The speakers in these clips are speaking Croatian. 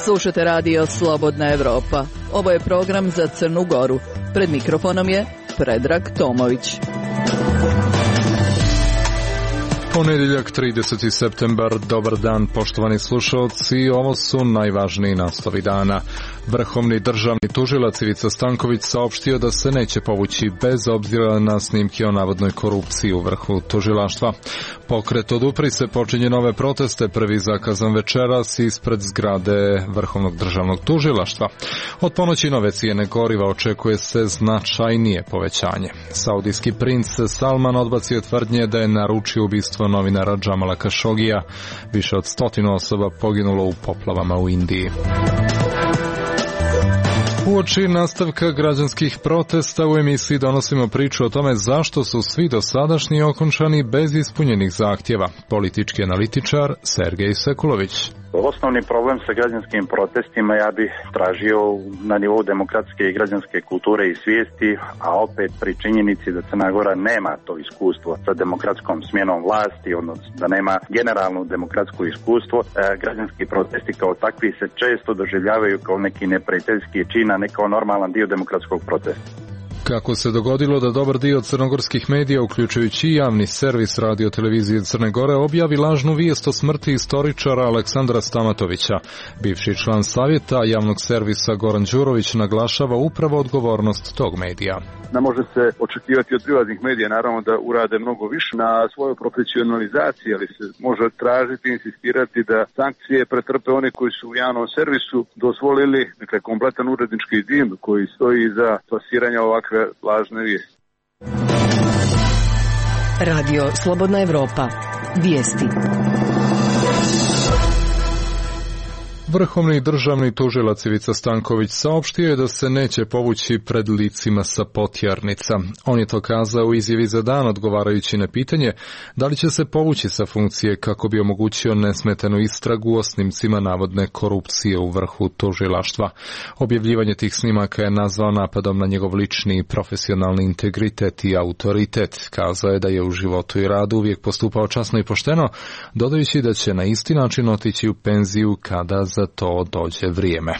Slušate radio Slobodna Evropa. Ovo je program za Crnu Goru. Pred mikrofonom je Predrag Tomović. Ponedjeljak, 30. septembar, dobar dan poštovani slušalci, ovo su najvažniji naslovi dana. Vrhovni državni tužilac Ivica Stanković saopštio da se neće povući bez obzira na snimke o navodnoj korupciji u vrhu tužilaštva. Pokret Odupri se počinje nove proteste, prvi zakazan večeras ispred zgrade Vrhovnog državnog tužilaštva. Od ponoći nove cijene goriva očekuje se značajnije povećanje. Saudijski princ Salman odbacio tvrdnje da je naručio ubistvo novinara Džamala Kašogija. Više od 100 osoba poginulo u poplavama u Indiji. Uoči nastavka građanskih protesta u emisiji donosimo priču o tome zašto su svi dosadašnji okončani bez ispunjenih zahtjeva. Politički analitičar Sergej Sekulović. Osnovni problem sa građanskim protestima ja bih tražio na nivou demokratske i građanske kulture i svijesti, a opet pri činjenici da Crna Gora nema to iskustvo sa demokratskom smjenom vlasti, odnosno da nema generalno demokratsko iskustvo, građanski protesti kao takvi se često doživljavaju kao neki neprijateljski čin, a ne kao normalan dio demokratskog protesta. Kako se dogodilo da dobar dio crnogorskih medija, uključujući i javni servis radio televizije Crne Gore, objavi lažnu vijest o smrti istoričara Aleksandra Stamatovića. Bivši član savjeta javnog servisa Goran Đurović naglašava upravo odgovornost tog medija. Ne može se očekivati od privatnih medija, naravno da urade mnogo više na svojoj profesionalizaciji, ali se može tražiti i insistirati da sankcije pretrpe one koji su u javnom servisu dozvolili, dakle, kompletan urednički tim koji stoji za plasiranje ovakve lažne vijesti. Radio Slobodna Evropa. Vijesti. Vrhovni državni tužilac Ivica Stanković saopštio je da se neće povući pred licima sa Potjarnica. On je to kazao u izjavi za Dan odgovarajući na pitanje da li će se povući sa funkcije kako bi omogućio nesmetanu istragu o snimcima navodne korupcije u vrhu tužilaštva. Objavljivanje tih snimaka je nazvao napadom na njegov lični i profesionalni integritet i autoritet. Kazao je da je u životu i radu uvijek postupao časno i pošteno, dodajući da će na isti način otići u penziju kada za to dođe vrijeme.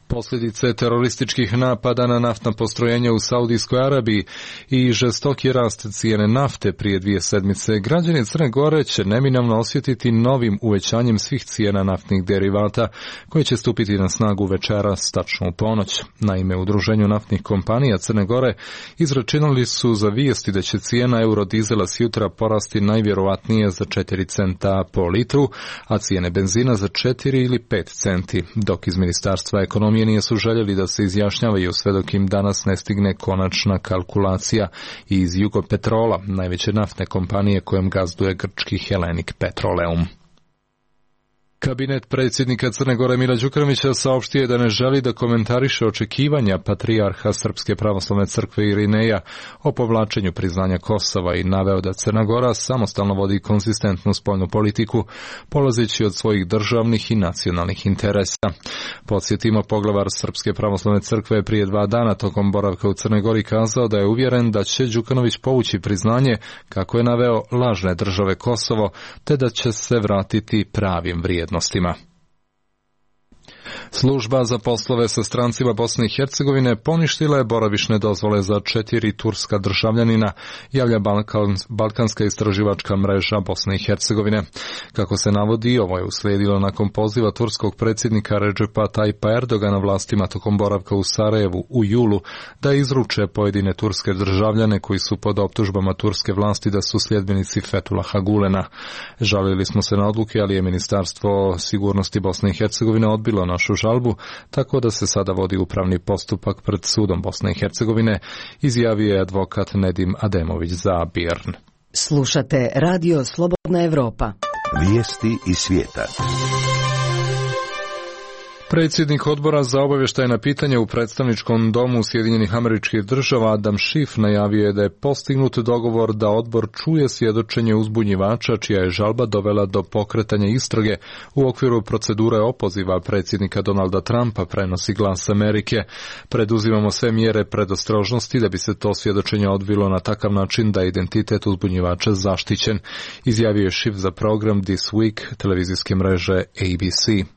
Posljedice terorističkih napada na naftna postrojenja u Saudijskoj Arabiji i žestoki rast cijene nafte prije 2 sedmice, građani Crne Gore će neminovno osjetiti novim uvećanjem svih cijena naftnih derivata koje će stupiti na snagu večeras tačno u ponoć. Naime, u Udruženju naftnih kompanija Crne Gore izračunali su za vijesti da će cijena eurodizela s jutra porasti najvjerovatnije za 4 centa po litru, a cijene benzina za 4 ili 5 centi, dok iz Ministarstva ekonomije nije su željeli da se izjašnjavaju sve dok im danas ne stigne konačna kalkulacija iz Jugopetrola, najveće naftne kompanije kojem gazduje grčki Hellenic Petroleum. Kabinet predsjednika Crne Gore Mila Đukanovića saopštio je da ne želi da komentariše očekivanja patrijarha Srpske pravoslavne crkve Irineja o povlačenju priznanja Kosova i naveo da Crna Gora samostalno vodi konzistentnu spoljnu politiku, polazeći od svojih državnih i nacionalnih interesa. Podsjetimo, poglavar Srpske pravoslavne crkve je prije 2 dana tokom boravka u Crnoj Gori kazao da je uvjeren da će Đukanović povući priznanje, kako je naveo, lažne države Kosovo, te da će se vratiti pravim vrijednostima. Služba za poslove sa strancima Bosne i Hercegovine poništila je boravišne dozvole za 4 turska državljanina, javlja Balkanska istraživačka mreža Bosne i Hercegovine. Kako se navodi, ovo je uslijedilo nakon poziva turskog predsjednika Recepa Tayyipa Erdogana vlastima tokom boravka u Sarajevu u julu da izruče pojedine turske državljane koji su pod optužbama turske vlasti da su sljedbenici Fethullaha Gulena. Žalili smo se na odluke, ali je Ministarstvo sigurnosti Bosne i Hercegovine odbilo našu žalbu, tako da se sada vodi upravni postupak pred sudom Bosne i Hercegovine, izjavio je advokat Nedim Ademović za BIRN. Slušate Radio Slobodna Evropa. Vijesti iz svijeta. Predsjednik odbora za obavještajna pitanja u predstavničkom domu Sjedinjenih Američkih Država Adam Schiff najavio je da je postignut dogovor da odbor čuje svjedočenje uzbunjivača čija je žalba dovela do pokretanja istrage u okviru procedure opoziva predsjednika Donalda Trumpa, prenosi Glas Amerike. Preduzimamo sve mjere predostrožnosti da bi se to svjedočenje odvilo na takav način da je identitet uzbunjivača zaštićen, izjavio je Schiff za program This Week televizijske mreže ABC.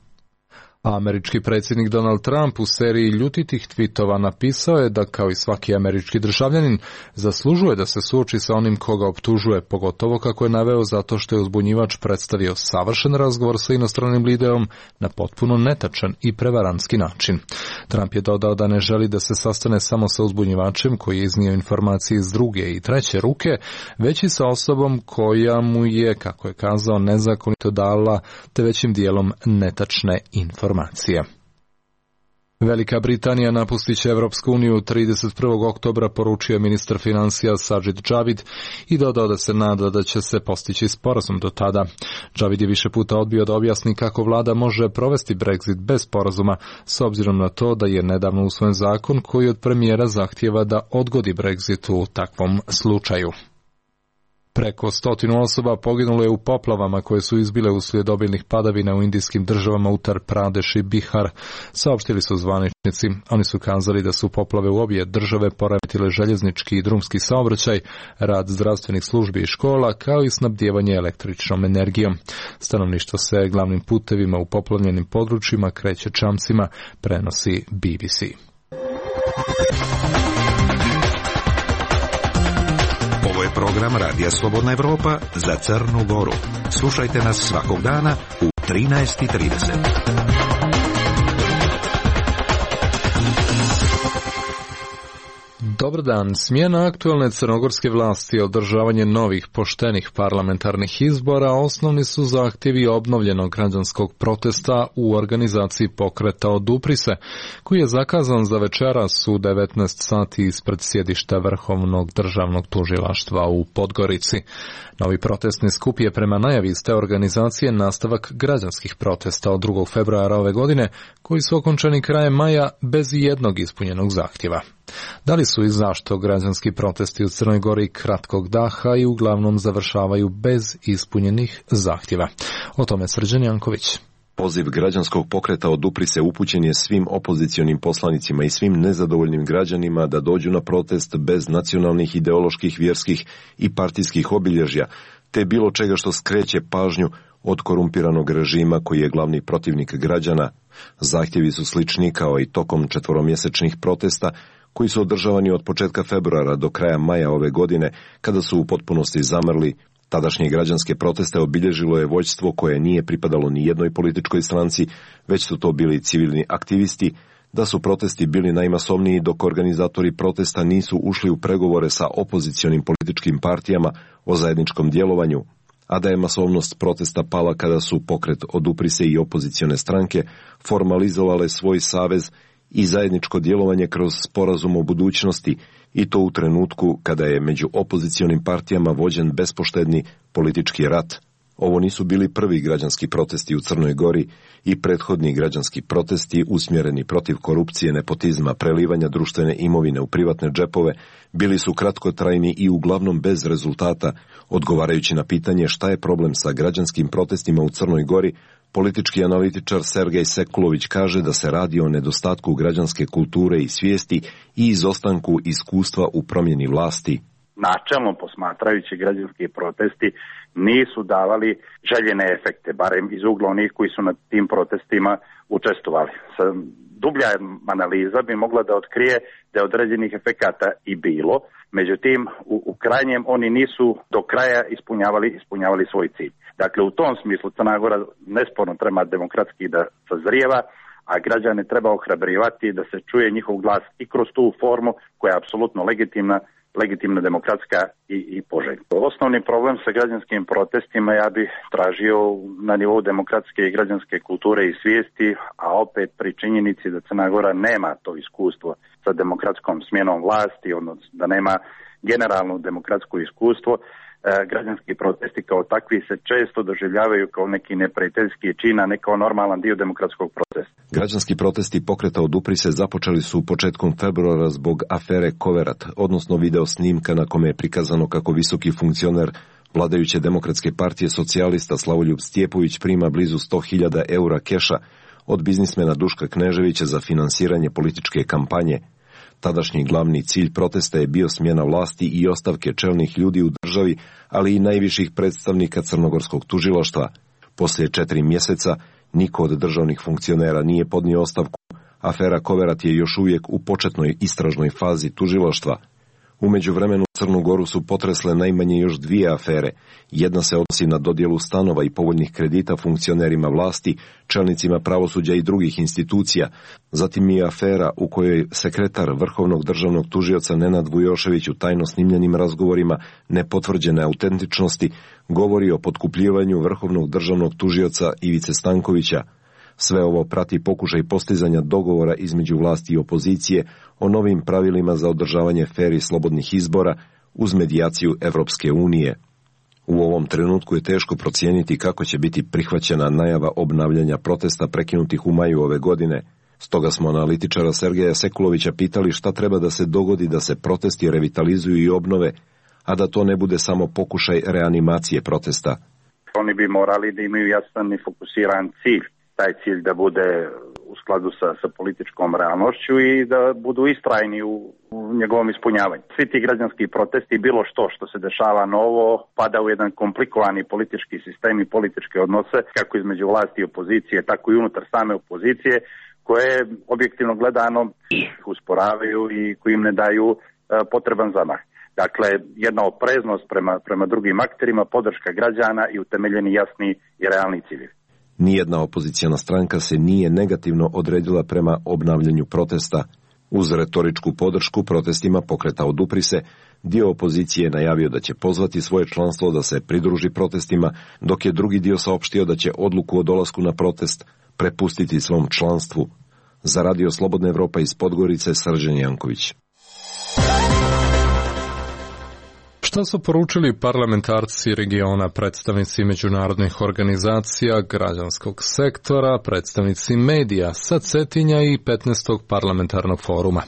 Američki predsjednik Donald Trump u seriji ljutitih tvitova napisao je da, kao i svaki američki državljanin, zaslužuje da se suoči sa onim koga optužuje, pogotovo kako je naveo zato što je uzbunjivač predstavio savršen razgovor sa inostranim liderom na potpuno netačan i prevarantski način. Trump je dodao da ne želi da se sastane samo sa uzbunjivačem koji je iznio informacije iz druge i treće ruke, već i sa osobom koja mu je, kako je kazao, nezakonito dala te većim dijelom netačne informacije. Velika Britanija napustit će Evropsku uniju 31. oktobra, poručio je ministar financija Sajid Javid i dodao da se nada da će se postići sporazum do tada. Javid je više puta odbio da objasni kako vlada može provesti Brexit bez sporazuma, s obzirom na to da je nedavno usvojen zakon koji od premijera zahtijeva da odgodi Brexit u takvom slučaju. Preko 100 osoba poginulo je u poplavama koje su izbile uslijed obilnih padavina u indijskim državama Uttar Pradesh i Bihar, saopštili su zvaničnici. Oni su kazali da su poplave u obje države poremetile željeznički i drumski saobraćaj, rad zdravstvenih službi i škola, kao i snabdijevanje električnom energijom. Stanovništvo se glavnim putevima u poplavljenim područjima kreće čamcima, prenosi BBC. Program Radija Slobodna Evropa za Crnu Goru. Slušajte nas svakog dana u 13:30. Dobar dan. Smjena aktualne crnogorske vlasti i održavanje novih poštenih parlamentarnih izbora osnovni su zahtjevi obnovljenog građanskog protesta u organizaciji pokreta Odupri se, koji je zakazan za večeras u 19 sati ispred sjedišta Vrhovnog državnog tužilaštva u Podgorici. Novi protestni skup je prema najavi iz te organizacije nastavak građanskih protesta od 2. februara ove godine, koji su okončani krajem maja bez jednog ispunjenog zahtjeva. Da li su i zašto građanski protesti u Crnoj Gori kratkog daha i uglavnom završavaju bez ispunjenih zahtjeva? O tome Srđan Janković. Poziv građanskog pokreta Odupri se upućen je svim opozicionim poslanicima i svim nezadovoljnim građanima da dođu na protest bez nacionalnih, ideoloških, vjerskih i partijskih obilježja, te bilo čega što skreće pažnju od korumpiranog režima koji je glavni protivnik građana. Zahtjevi su slični kao i tokom 4-mjesečnih protesta koji su održavani od početka februara do kraja maja ove godine, kada su u potpunosti zamrli. Tadašnje građanske proteste obilježilo je vođstvo koje nije pripadalo ni jednoj političkoj stranci, već su to bili civilni aktivisti, da su protesti bili najmasovniji dok organizatori protesta nisu ušli u pregovore sa opozicionim političkim partijama o zajedničkom djelovanju, a da je masovnost protesta pala kada su pokret Odupri se i opozicione stranke formalizovale svoj savez i zajedničko djelovanje kroz sporazum o budućnosti, i to u trenutku kada je među opozicionim partijama vođen bespoštedni politički rat. Ovo nisu bili prvi građanski protesti u Crnoj Gori i prethodni građanski protesti usmjereni protiv korupcije, nepotizma, prelivanja društvene imovine u privatne džepove bili su kratkotrajni i uglavnom bez rezultata. Odgovarajući na pitanje šta je problem sa građanskim protestima u Crnoj Gori, politički analitičar Sergej Sekulović kaže da se radi o nedostatku građanske kulture i svijesti i izostanku iskustva u promjeni vlasti. Načelno posmatrajući, građanski protesti nisu davali željene efekte, barem iz ugla onih koji su na tim protestima učestvovali. Dublja analiza bi mogla da otkrije da je određenih efekata i bilo, međutim u krajnjem oni nisu do kraja ispunjavali svoj cilj. Dakle, u tom smislu Crna Gora nesporno treba demokratski da sazrijeva, a građane treba ohrabrivati da se čuje njihov glas i kroz tu formu koja je apsolutno legitimna, demokratska i poželjna. Osnovni problem sa građanskim protestima ja bih tražio na nivou demokratske i građanske kulture i svijesti, a opet pri činjenici da Crna Gora nema to iskustvo sa demokratskom smjenom vlasti, odnosno da nema generalno demokratsko iskustvo. Građanski protesti kao takvi se često doživljavaju kao neki neprijateljski čin, a ne kao normalan dio demokratskog protesta. Građanski protesti pokreta Odupri se započeli su početkom februara zbog afere Koverat, odnosno video snimka na kome je prikazano kako visoki funkcioner vladajuće demokratske partije socijalista Slavoljub Stjepović prima blizu 100.000 eura keša od biznismena Duška Kneževića za finansiranje političke kampanje. Tadašnji glavni cilj protesta je bio smjena vlasti i ostavke čelnih ljudi u državi, ali i najviših predstavnika crnogorskog tužilaštva. Poslije 4 mjeseca Niko od državnih funkcionera nije podnio ostavku. Afera Koverat je još uvijek u početnoj istražnoj fazi tužilaštva. U međuvremenu Crnu Goru su potresle najmanje još 2 afere. Jedna se odnosi na dodjelu stanova i povoljnih kredita funkcionerima vlasti, čelnicima pravosuđa i drugih institucija. Zatim je afera u kojoj sekretar Vrhovnog državnog tužioca Nenad Vujošević u tajno snimljenim razgovorima nepotvrđene autentičnosti govori o potkupljivanju Vrhovnog državnog tužioca Ivice Stankovića. Sve ovo prati pokušaj postizanja dogovora između vlasti i opozicije o novim pravilima za održavanje fer i slobodnih izbora uz medijaciju Evropske unije. U ovom trenutku je teško procijeniti kako će biti prihvaćena najava obnavljanja protesta prekinutih u maju ove godine. Stoga smo analitičara Sergeja Sekulovića pitali šta treba da se dogodi da se protesti revitalizuju i obnove, a da to ne bude samo pokušaj reanimacije protesta. Oni bi morali da imaju jasan i fokusiran cilj. Taj cilj da bude u skladu sa političkom realnošću i da budu istrajni u njegovom ispunjavanju. Svi ti građanski protesti, bilo što se dešava novo, pada u jedan komplikovani politički sistem i političke odnose, kako između vlasti i opozicije, tako i unutar same opozicije, koje objektivno gledano usporavaju i koji im ne daju potreban zamah. Dakle, jedna opreznost prema drugim akterima, podrška građana i utemeljeni jasni i realni ciljevi. Nijedna opozicijana stranka se nije negativno odredila prema obnavljanju protesta. Uz retoričku podršku protestima pokreta Odupri se, dio opozicije je najavio da će pozvati svoje članstvo da se pridruži protestima, dok je drugi dio saopštio da će odluku o dolasku na protest prepustiti svom članstvu. Za Radio Slobodna Evropa iz Podgorice, Srđan Janković. Šta su poručili parlamentarci regiona, predstavnici međunarodnih organizacija, građanskog sektora, predstavnici medija sa Cetinja i 15. parlamentarnog foruma?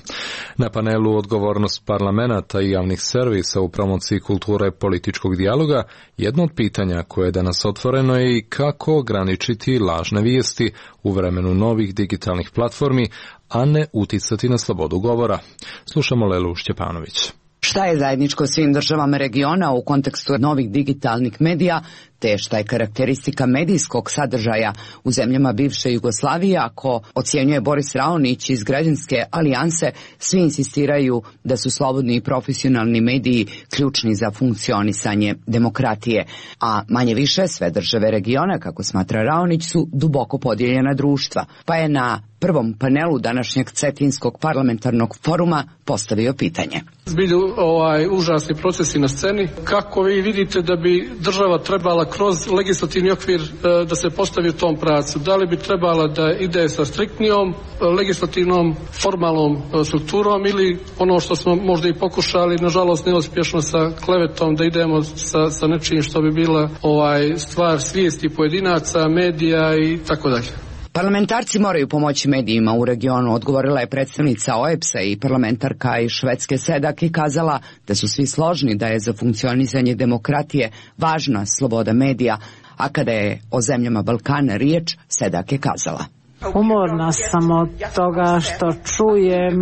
Na panelu Odgovornost parlamenata i javnih servisa u promociji kulture političkog dijaloga, jedno od pitanja koje je danas otvoreno je i kako ograničiti lažne vijesti u vremenu novih digitalnih platformi, a ne uticati na slobodu govora. Slušamo Lelu Šćepanović. Šta je zajedničko svim državama regiona u kontekstu novih digitalnih medija, te šta je karakteristika medijskog sadržaja u zemljama bivše Jugoslavije? Ako ocjenjuje Boris Raonić iz Građanske alijanse, svi insistiraju da su slobodni i profesionalni mediji ključni za funkcionisanje demokratije, a manje više sve države regiona, kako smatra Raonić, su duboko podijeljena društva, pa je na prvom panelu današnjeg Cetinskog parlamentarnog foruma postavio pitanje. Zbilju užasni procesi na sceni. Kako vi vidite da bi država trebala kroz legislativni okvir da se postavi u tom pravcu? Da li bi trebala da ide sa striktnijom legislativnom formalnom strukturom ili ono što smo možda i pokušali, nažalost neuspješno, sa klevetom, da idemo sa nečim što bi bila stvar svijesti pojedinaca, medija i tako dalje? Parlamentarci moraju pomoći medijima u regionu, odgovorila je predstavnica OEBS-a i parlamentarka iz Švedske Sedak i kazala da su svi složni da je za funkcionisanje demokratije važna sloboda medija, a kada je o zemljama Balkana riječ, Sedak je kazala: Umorna sam od toga što čujem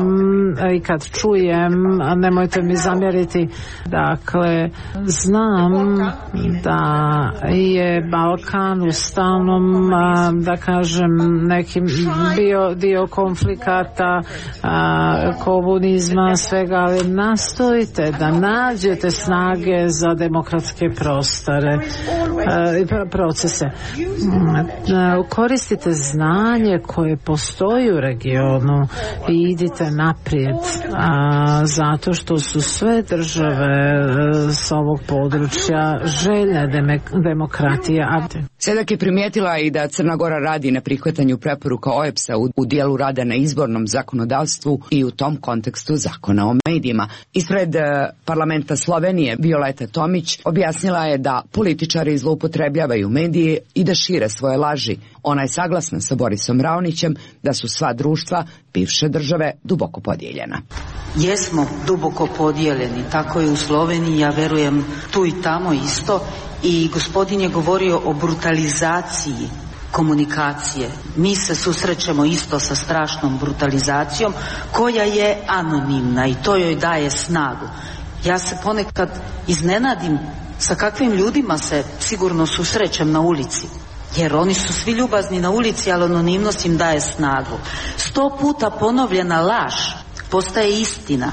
i kad čujem, nemojte mi zamjeriti, dakle, znam da je Balkan u stalnom, da kažem, nekim dio konflikata, komunizma, svega, ali nastojite da nađete snage za demokratske procese. Koristite znanje koje postoji u regionu i idite naprijed, zato što su sve države s ovog područja željne demokratije. Sedak je primijetila i da Crna Gora radi na prihvatanju preporuka OEBS-a u dijelu rada na izbornom zakonodavstvu i u tom kontekstu zakona o medijima. Ispred parlamenta Slovenije Violeta Tomić objasnila je da političari zloupotrebljavaju medije i da šire svoje laži. Ona je saglasna sa Borisom Raonićem da su sva društva bivše države duboko podijeljena. Jesmo duboko podijeljeni, tako je u Sloveniji, ja verujem tu i tamo isto, i gospodin je govorio o brutalizaciji komunikacije. Mi se susrećemo isto sa strašnom brutalizacijom koja je anonimna i to joj daje snagu. Ja se ponekad iznenadim sa kakvim ljudima se sigurno susrećem na ulici. jer oni su svi ljubazni na ulici, ali anonimnost im daje snagu. 100 puta ponovljena laž postaje istina.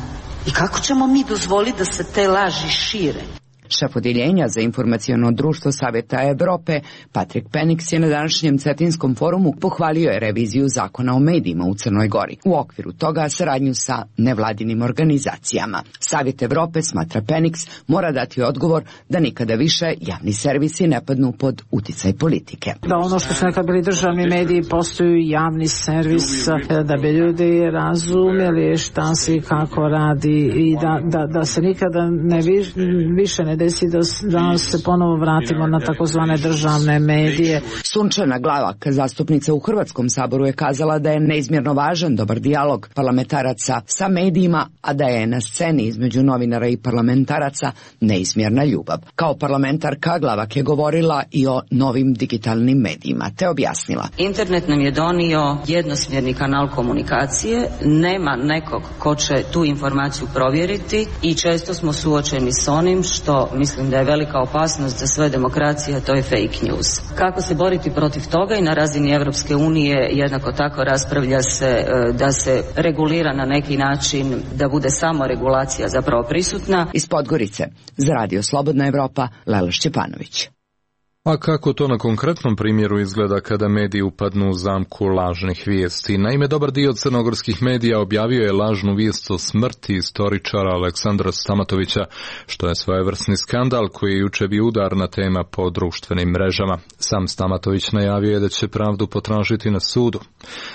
I kako ćemo mi dozvoliti da se te laži šire? Šef odjeljenja za informaciono društvo Savjeta Evrope, Patrik Penix, je na današnjem Cetinskom forumu pohvalio je reviziju zakona o medijima u Crnoj Gori. U okviru toga saradnju sa nevladinim organizacijama. Savjet Evrope, smatra Penix, mora dati odgovor da nikada više javni servisi ne padnu pod uticaj politike. Da ono što su nekad bili državni mediji postaju javni servis, da bi ljudi razumjeli šta se i kako radi i da se nikada više ne desi da se ponovo vratimo na takozvane državne medije. Sunčana Glavak, zastupnica u Hrvatskom saboru, je kazala da je neizmjerno važan dobar dijalog parlamentaraca sa medijima, a da je na sceni između novinara i parlamentaraca neizmjerna ljubav. Kao parlamentarka Glavak je govorila i o novim digitalnim medijima, te objasnila. Internet nam je donio jednosmjerni kanal komunikacije, nema nekog ko će tu informaciju provjeriti i često smo suočeni s onim što mislim da je velika opasnost za sve demokracije, a to je fake news. Kako se boriti protiv toga i na razini Europske unije jednako tako raspravlja se da se regulira na neki način, da bude samo regulacija zapravo prisutna. Iz Podgorice, za Radio Slobodna Evropa, Lela Šćepanović. A kako to na konkretnom primjeru izgleda kada mediji upadnu u zamku lažnih vijesti? Naime, dobar dio crnogorskih medija objavio je lažnu vijest o smrti istoričara Aleksandra Stamatovića, što je svojevrsni skandal koji je jučer bio udarna tema po društvenim mrežama. Sam Stamatović najavio je da će pravdu potražiti na sudu.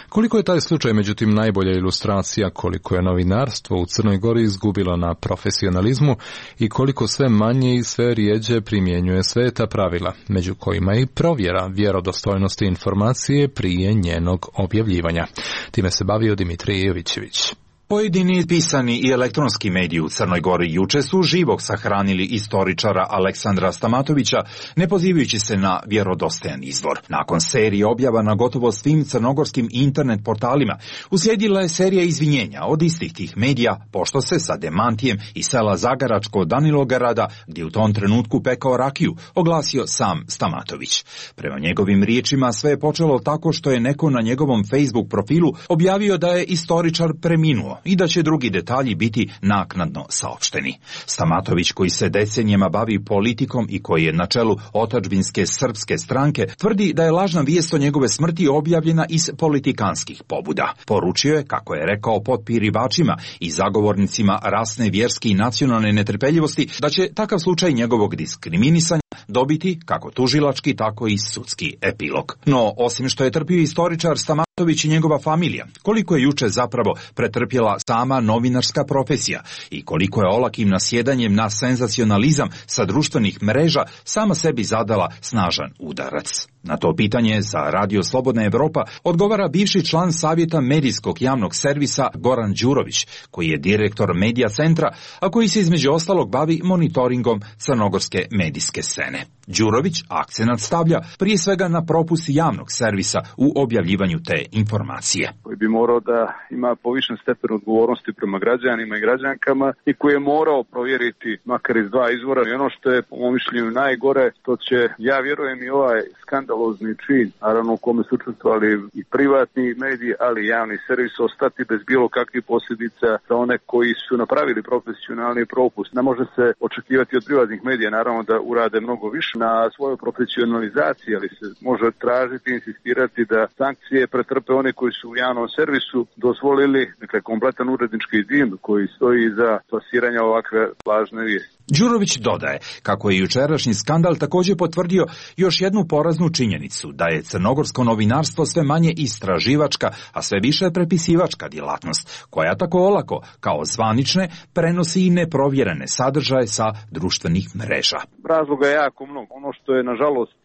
Koliko je taj slučaj međutim najbolja ilustracija koliko je novinarstvo u Crnoj Gori izgubilo na profesionalizmu i koliko sve manje i sve rijeđe primjenjuje sveta pravila, među kojima i provjera vjerodostojnosti informacije prije njenog objavljivanja. Time se bavio Dimitrij Jovićević. Pojedini pisani i elektronski mediji u Crnoj Gori juče su živog sahranili istoričara Aleksandra Stamatovića, ne pozivajući se na vjerodostojan izvor. Nakon serije objava na gotovo svim crnogorskim internet portalima, uslijedila je serija izvinjenja od istih tih medija, pošto se sa demantijem iz sela Zagaračko Danilograda, gdje u tom trenutku pekao rakiju, oglasio sam Stamatović. Prema njegovim riječima sve je počelo tako što je neko na njegovom Facebook profilu objavio da je istoričar preminuo i da će drugi detalji biti naknadno saopšteni. Stamatović, koji se decenijama bavi politikom i koji je na čelu otadžbinske srpske stranke, tvrdi da je lažna vijest o njegove smrti objavljena iz politikanskih pobuda. Poručio je, kako je rekao potpirivačima i zagovornicima rasne, vjerske i nacionalne netrpeljivosti, da će takav slučaj njegovog diskriminisanja dobiti kako tužilački, tako i sudski epilog. No, osim što je trpio istoričar Stamatović i njegova familija, koliko je juče zapravo pretrpjela sama novinarska profesija i koliko je olakim nasjedanjem na senzacionalizam sa društvenih mreža sama sebi zadala snažan udarac. Na to pitanje za Radio Slobodna Evropa odgovara bivši član Savjeta medijskog javnog servisa Goran Đurović, koji je direktor Medija centra, a koji se između ostalog bavi monitoringom crnogorske medijske scene. Đurović akcenat stavlja prije svega na propust javnog servisa u objavljivanju te informacije. Koji bi morao da ima povišen stepen odgovornosti prema građanima i građankama i koji je morao provjeriti makar iz dva izvora. I ono što je po mom mišljenju najgore, to će, ja vjerujem, i ovaj skandalozni čin, naravno u kome su učestvovali i privatni mediji, ali i javni servis, ostati bez bilo kakvih posljedica za one koji su napravili profesionalni propust. Ne može se očekivati od privatnih medija, naravno, da urade mnogo više na svojoj profesionalizaciji, ali se može tražiti, insistirati da sankcije pretrpe one koji su u javnom servisu dozvolili, dakle, kompletan urednički tim koji stoji iza plasiranja ovakve lažne vijesti. Đurović dodaje kako je jučerašnji skandal također potvrdio još jednu poraznu činjenicu, da je crnogorsko novinarstvo sve manje istraživačka, a sve više prepisivačka djelatnost, koja tako olako, kao zvanične, prenosi i neprovjerene sadržaje sa društvenih mreža. Razloga je jako mnogo. Ono što je, nažalost,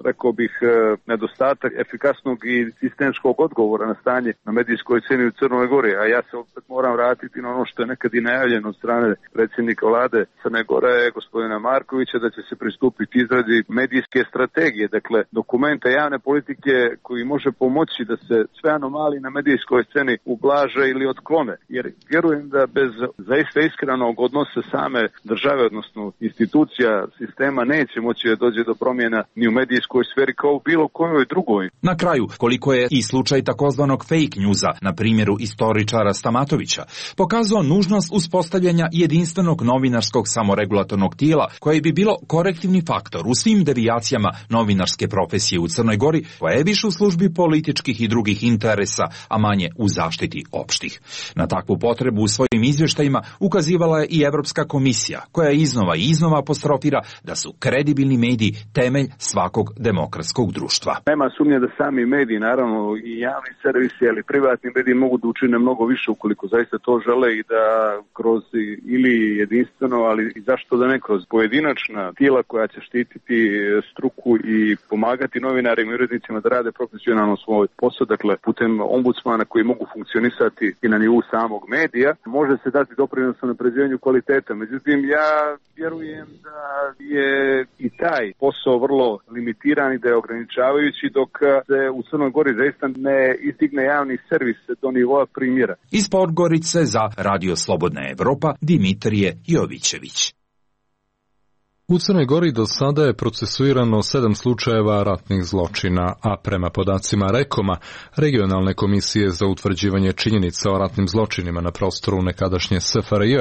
rekao bih, nedostatak efikasnog i sistemskog odgovora na stanje na medijskoj sceni u Crnoj Gori, a ja se opet moram vratiti na ono što je nekad i najavljeno od strane predsjednika vlade Crne Gore, gospodina Markovića, da će se pristupiti izradi medijske strategije. Dakle, do dokumenta javne politike koji može pomoći da se sve anomalije na medijskoj sceni ublaže ili otklone. Jer vjerujem da bez zaista iskrenog odnosa same države, odnosno institucija sistema, neće moći da dođe do promjena ni u medijskoj sferi kao u bilo kojoj drugoj. Na kraju, koliko je i slučaj takozvanog fake newsa, na primjeru istoričara Stamatovića, pokazao nužnost uspostavljanja jedinstvenog novinarskog samoregulatornog tijela koje bi bilo korektivni faktor u svim devijacijama novinarske profesije u Crnoj Gori, koja je više u službi političkih i drugih interesa, a manje u zaštiti opštih. Na takvu potrebu u svojim izvještajima ukazivala je i Evropska komisija, koja iznova i iznova apostrofira da su kredibilni mediji temelj svakog demokratskog društva. Nema sumnje da sami mediji, naravno i javni servisi, ali privatni mediji mogu da učine mnogo više ukoliko zaista to žele i da kroz ili jedinstveno, ali i zašto da ne kroz pojedinačna tijela koja će štititi struku i pomagati novinarima i urednicima da rade profesionalno svoj posao, dakle putem ombudsmana koji mogu funkcionisati i na nivou samog medija, može se dati doprinos na unapređenju kvaliteta. Međutim, ja vjerujem da je i taj posao vrlo limitiran i da je ograničavajući dok se u Crnoj Gori zaista ne izdigne javni servis do nivoa primjera. Iz Podgorice za Radio Slobodna Evropa, Dimitrije Jovićević. U Crnoj Gori do sada je procesuirano 7 slučajeva ratnih zločina, a prema podacima REKOM-a, Regionalne komisije za utvrđivanje činjenica o ratnim zločinima na prostoru nekadašnje SFRJ,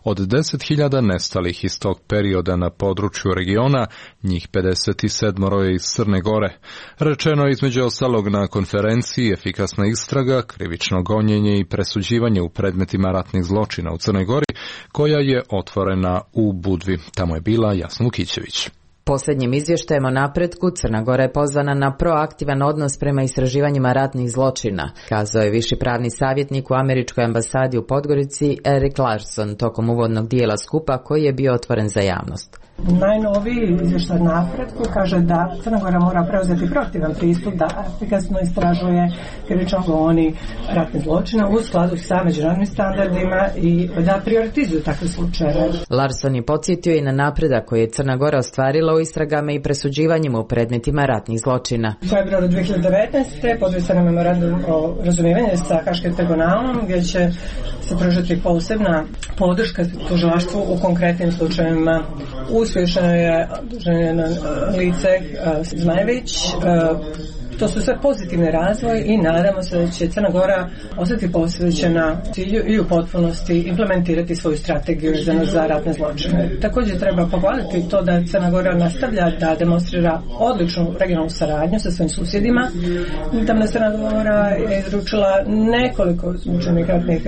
od 10.000 nestalih iz tog perioda na području regiona, njih 57 je iz Crne Gore. Rečeno je između ostalog na konferenciji efikasna istraga, krivično gonjenje i presuđivanje u predmetima ratnih zločina u Crnoj Gori, koja je otvorena u Budvi. Tamo je bila Jasna Lukićević. Posljednjim izvještajem o napretku Crna Gora je pozvana na proaktivan odnos prema istraživanjima ratnih zločina, kazao je viši pravni savjetnik u Američkoj ambasadi u Podgorici Erik Larson tokom uvodnog dijela skupa koji je bio otvoren za javnost. Najnoviji izvještaj napretku kaže da Crna Gora mora preuzeti proaktivan pristup da efikasno istražuje krivično goni ratnih zločina u skladu sa međunarodnim standardima i da prioritizuju takve slučajeve. Larson je podsjetio i na napredak koji je Crna Gora ostvarila u istragama i presuđivanjima u predmetima ratnih zločina. U februaru 2019. potpisan je memorandum o razumijevanju sa Haškim tribunalom gdje će se pružiti posebna podrška tužilaštvu u konkretnim slučajevima. Uspješno je na lice Zmajević. To su sve pozitivni razvoj i nadamo se da će Crna Gora ostati posvećena cilju i u potpunosti implementirati svoju strategiju za ratne zločine. Također treba pohvaliti to da Crna Gora nastavlja da demonstrira odličnu regionalnu saradnju sa svojim susjedima. Tamna Crna Gora je izručila nekoliko mučenih ratnih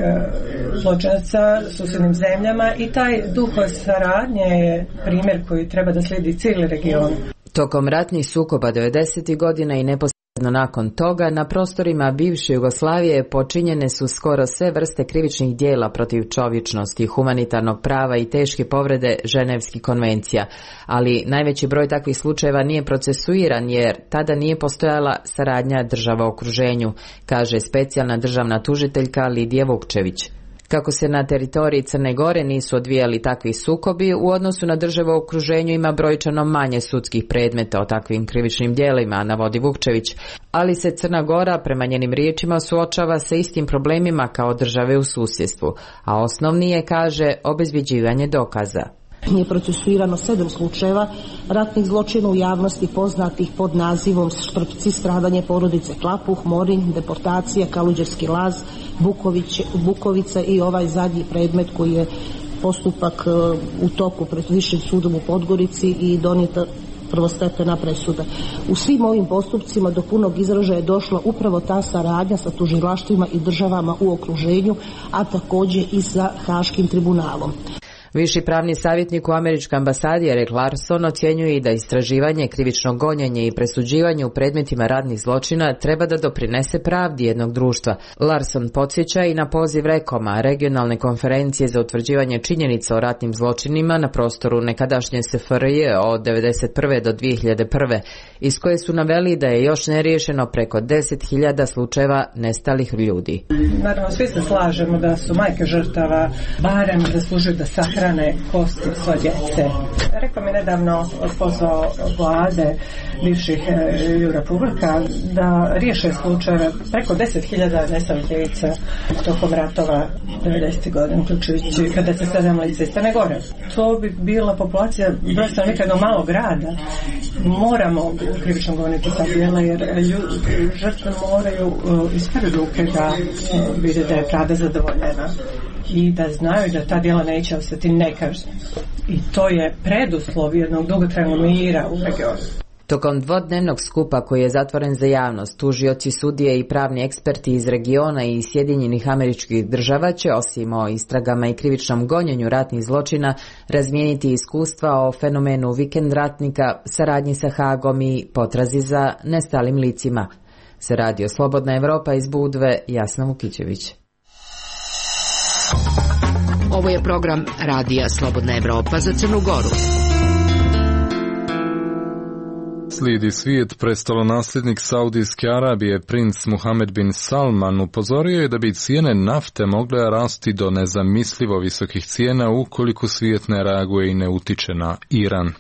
zločinaca susjednim zemljama i taj duh saradnje je primjer koji treba da slijedi cijeli region. Tokom ratnih sukoba 90. godina i neposredno nakon toga na prostorima bivše Jugoslavije počinjene su skoro sve vrste krivičnih dijela protiv čovječnosti, humanitarnog prava i teške povrede Ženevskih konvencija, ali najveći broj takvih slučajeva nije procesuiran jer tada nije postojala saradnja država u okruženju, kaže specijalna državna tužiteljka Lidija Vukčević. Kako se na teritoriji Crne Gore nisu odvijali takvi sukobi, u odnosu na države u okruženju ima brojčano manje sudskih predmeta o takvim krivičnim djelima, navodi Vukčević, ali se Crna Gora, prema njenim riječima, suočava sa istim problemima kao države u susjedstvu, a osnovni je, kaže, obezbjeđivanje dokaza. Je procesuirano 7 slučajeva ratnih zločina u javnosti poznatih pod nazivom Štrpci, stradanje porodice Klapuh, Morin, deportacija, Kaluđerski laz, Bukovica i ovaj zadnji predmet koji je postupak u toku pred Višim sudom u Podgorici i donijeta prvostepena presuda. U svim ovim postupcima do punog izražaja je došla upravo ta saradnja sa tužilaštvima i državama u okruženju, a također i sa Haškim tribunalom. Viši pravni savjetnik u Američkoj ambasadi Erik Larson ocjenjuje i da istraživanje, krivično gonjenje i presuđivanje u predmetima ratnih zločina treba da doprinese pravdi jednog društva. Larson podsjeća i na poziv REKOM-a, Regionalne konferencije za utvrđivanje činjenica o ratnim zločinima na prostoru nekadašnje SFRJ od 1991. do 2001. iz koje su naveli da je još neriješeno preko 10.000 slučajeva nestalih ljudi. Naravno, svi se slažemo da su majke žrtava barem zaslužuju da sahrane sahrane kosti svoje djece. Rekao mi nedavno, pozvao vlade bivših republika da riješe slučajeve preko 10.000 nestalih djevica tokom ratova 90. godina, uključujući 57 lica iz Crne Gore. To bi bila populacija broj stanovnika jednog malog grada. Moramo krivično govoriti sa djela, jer žrtve moraju iz prve ruke da vide da je pravda zadovoljena i da znaju da ta djela neće ostati nekažnjena. I to je preduslov jednog dugotrajnog mira u regionu. Tokom dvodnevnog skupa koji je zatvoren za javnost, tužioci, sudije i pravni eksperti iz regiona i Sjedinjenih Američkih Država će, osim o istragama i krivičnom gonjenju ratnih zločina, razmijeniti iskustva o fenomenu vikend ratnika, saradnji sa Hagom i potrazi za nestalim licima. Za Radio Slobodna Evropa iz Budve, Jasna Vukićević. Ovo je program Radija Slobodna Evropa za Crnu Goru. Slijedi svijet. Prestolonasljednik Saudijske Arabije, princ Muhammed bin Salman, upozorio je da bi cijene nafte mogle rasti do nezamislivo visokih cijena ukoliko svijet ne reaguje i ne utiče na Iran.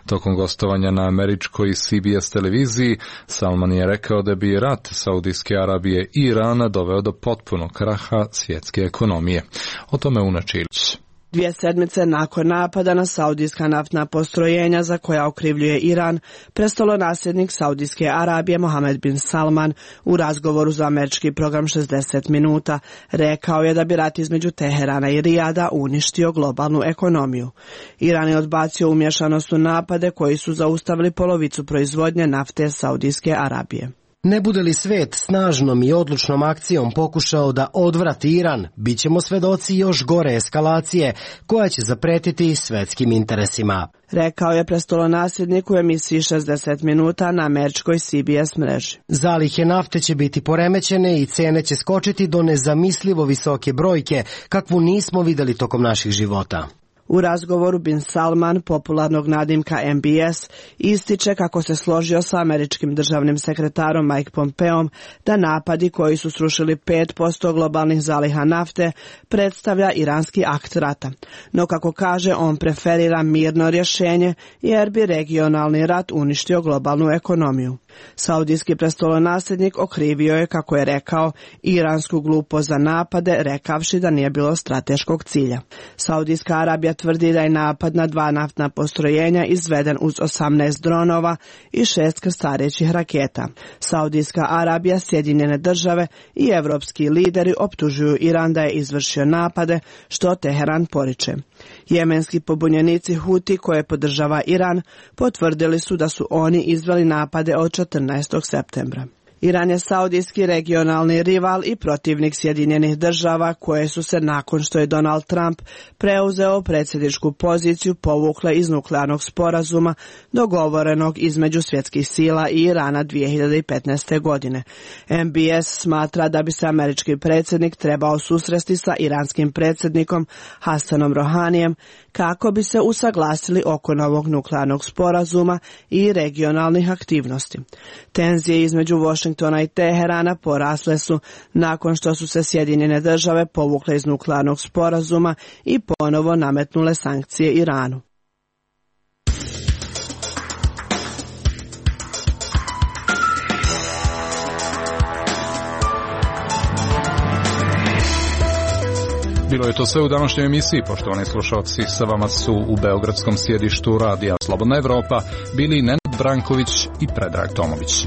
Tokom gostovanja na američkoj CBS televiziji, Salman je rekao da bi rat Saudijske Arabije i Irana doveo do potpunog kraha svjetske ekonomije. O tome Una Čilić. 2 sedmice nakon napada na saudijska naftna postrojenja za koja okrivljuje Iran, prestolonasljednik Saudijske Arabije Mohammed bin Salman u razgovoru za američki program 60 minuta rekao je da bi rat između Teherana i Rijada uništio globalnu ekonomiju. Iran je odbacio umješanost u napade koji su zaustavili polovicu proizvodnje nafte Saudijske Arabije. Ne bude li svijet snažnom i odlučnom akcijom pokušao da odvrati Iran, bit ćemo svedoci još gore eskalacije koja će zapretiti svjetskim interesima, rekao je prestolonasljednik u emisiji 60 minuta na američkoj CBS mreži. Zalihe nafte će biti poremećene i cijene će skočiti do nezamislivo visoke brojke kakvu nismo vidjeli tokom naših života. U razgovoru bin Salman, popularnog nadimka MBS, ističe kako se složio sa američkim državnim sekretarom Mike Pompeom da napadi koji su srušili 5% globalnih zaliha nafte predstavlja iranski akt rata. No kako kaže, on preferira mirno rješenje jer bi regionalni rat uništio globalnu ekonomiju. Saudijski prestolonasljednik okrivio je, kako je rekao, iransku glupost za napade, rekavši da nije bilo strateškog cilja. Saudijska Arabija tvrdi da je napad na 2 naftna postrojenja izveden uz 18 dronova i 6 krstarećih raketa. Saudijska Arabija, Sjedinjene Države i evropski lideri optužuju Iran da je izvršio napade, što Teheran poriče. Jemenski pobunjenici Huti, koje podržava Iran, potvrdili su da su oni izveli napade od 14. septembra. Iran je saudijski regionalni rival i protivnik Sjedinjenih Država, koje su se nakon što je Donald Trump preuzeo predsjedničku poziciju povukle iz nuklearnog sporazuma dogovorenog između svjetskih sila i Irana 2015. godine. MBS smatra da bi se američki predsjednik trebao susresti sa iranskim predsjednikom Hasanom Rohanijem kako bi se usaglasili oko novog nuklearnog sporazuma i regionalnih aktivnosti. Tenzije između Washingtona i Teherana porasle su nakon što su se Sjedinjene Države povukle iz nuklearnog sporazuma i ponovo nametnule sankcije Iranu. Bilo je to sve u današnjoj emisiji. Poštovani slušalci, sa vama su u beogradskom sjedištu Radija Slobodna Evropa bili Nenad Branković i Predrag Tomović.